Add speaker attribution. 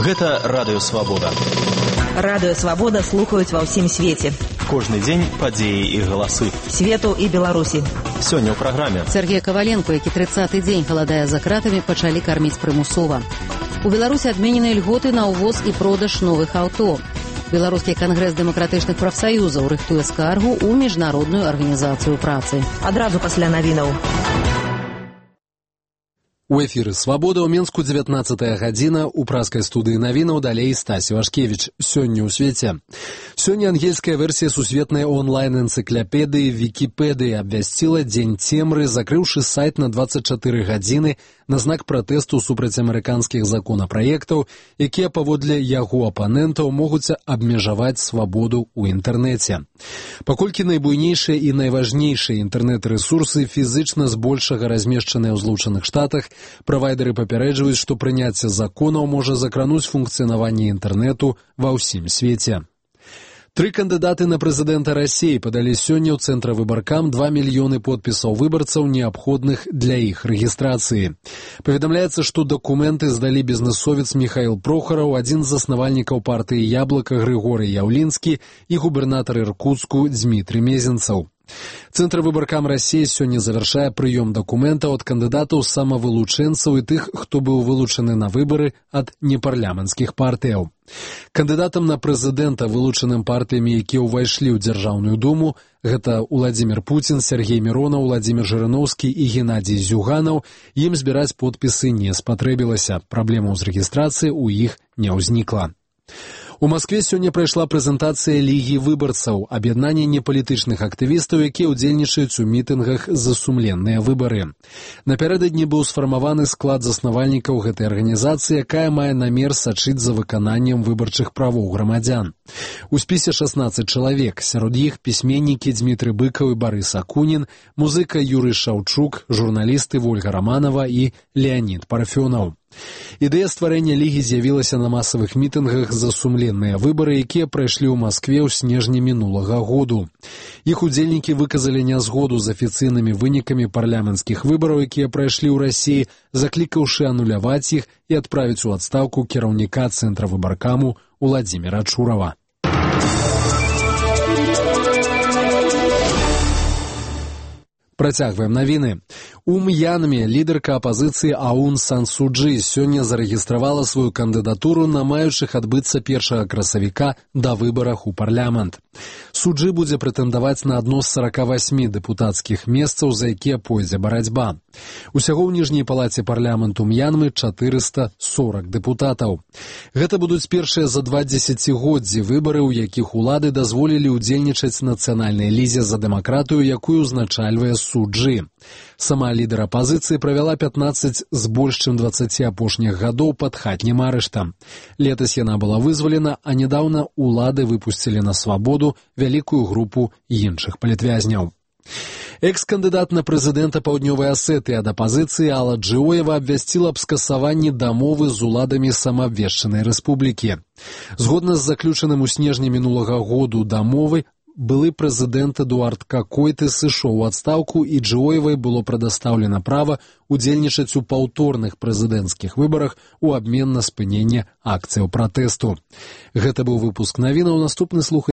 Speaker 1: Гэта Радыё Свабода.
Speaker 2: Радыё Свабода слухаюць ва ўсім свеце.
Speaker 1: Кожны дзень падзеі і галасы.
Speaker 2: Свету і Беларусі.
Speaker 1: Сёння ў праграме.
Speaker 3: Сергей Коваленко, які 30-й дзень галадае за кратамі, пачалі карміць прымусова. У Беларусі адменены льготы на ўвоз і продаж новых аўто. Беларускі кангрэс дэмакратычных прафсаюзаў рыхтуе скаргу ў міжнародную арганізацыю працы.
Speaker 2: Адразу пасля навінаў.
Speaker 4: У эфіры «Свабода» ў Менску 19-я гадзіна, у праскай студыі навінаў далей Стасі Вашкевіч. Сёння ў свеце. Сёння ангельская версія сусветнай онлайн-энцыклапедыі Вікіпедыі абвясціла дзень цемры, закрыўшы сайт на 24 гадзіны на знак пратэсту супраць амерыканскіх законапраектаў, якія паводле яго апанентаў могуць абмежаваць свабоду ў інтэрнэце. Паколькі найбуйнейшыя і найважнейшыя інтэрнэт-рэсурсы фізычна збольшага размешчаныя ў Злучаных Штатах, правайдеры папярэджваюць, што прыняцце законаў можа закрануць функцыянаванне інтэрнэту ва ўсім свеце. 3 кандыдаты на прэзідэнта Расіі падалі сёння ў Цэнтравыбаркам 2 мільёны подпісаў выбарцаў, неабходных для іх рэгістрацыі. Паведамляецца, што дакументы здалі бізнэсовец Міхаіл Прохараў, адзін з заснавальнікаў партыі «Яблака» Грыгорый Яўлінскі і губернатар Іркутску Дзмітрый Мезенцаў. Цэнтравыбаркам Расіі сёння завяршае прыём дакументаў ад кандыдатаў самавылучэнцаў і тых, хто быў вылучаны на выбары ад непарламенцкіх партыяў. Кандыдатам на прэзідэнта, вылучаным партыямі, якія ўвайшлі ў Дзяржаўную думу, гэта Уладзімір Пуцін, Сергей Міронаў, Владзімір Жырыноўскі і Геннадзій Зюганаў, ім збіраць подпісы не спатрэбілася. Праблемаў з рэгістрацыяй у іх не ўзнікла. У Маскве сёння прайшла прэзентацыя Лігі выбарцаў, аб'яднання непалітычных актывістаў, якія ўдзельнічаюць у мітынгах за сумленныя выбары. Напярэдадні быў сфармаваны склад заснавальнікаў гэтай арганізацыі, якая мае намер сачыць за выкананнем выбарчых правоў грамадзян. У спісе 16 чалавек, сярод іх пісьменнікі Дзмітрый Быкаў і Барыс Акунін, музыка Юрый Шаўчук, журналісты Вольга Раманова і Леанід Парфёнаў. Ідэя стварэння лігі з'явілася на масавых мітынгах за сумленныя выбары, якія прайшлі ў Маскве ў снежні мінулага году. Іх удзельнікі выказалі нязгоду з афіцыйнымі вынікамі парламенцкіх выбараў, якія прайшлі ў Расіі, заклікаўшы ануляваць іх і адправіць у адстаўку кіраўніка Цэнтравыбаркаму Уладзіміра Чурава. Працягваем навіны. У М'янме лідарка апазіцыі Аун Сан Су Чжы сёння зарэгістравала сваю кандыдатуру на маючых адбыцца 1 красавіка да выбарах у парламент. Су Чжы будзе прэтэндаваць на адно з 48 дэпутацкіх месцаў, за якія пойдзе барацьба. Усяго ў ніжняй палаце парламенту М'янмы 440 дэпутатаў. Гэта будуць першыя за 2 дзесяцігоддзі выбары, у якіх улады дазволілі ўдзельнічаць нацыянальнай лізе за дэмакратыю, якую ўзначальвае Су Чжы. Сама лідар апазіцыі правяла 15 з больш чым 20 апошніх гадоў пад хатнім арыштам. Летась яна была вызвалена, а нядаўна улады выпусцілі на свабоду вялікую групу іншых палітвязняў. Экс-кандыдат на прэзідэнта Паўднёвай Асетыі ад апазіцыі Алла Джыоева абвясціла аб скасаванні дамовы з уладамі самаабвешчанай рэспублікі. Згодна з заключаным у снежні мінулага году дамовы, былы прэзідэнт Эдуард Какойты сышоў у адстаўку, і Джыоевай было прадастаўлена права удзельнічаць у паўторных прэзідэнцкіх выбарах у абмен на спыненне акцыяў пратэсту. Гэта быў выпуск навінаў, наступны слухаць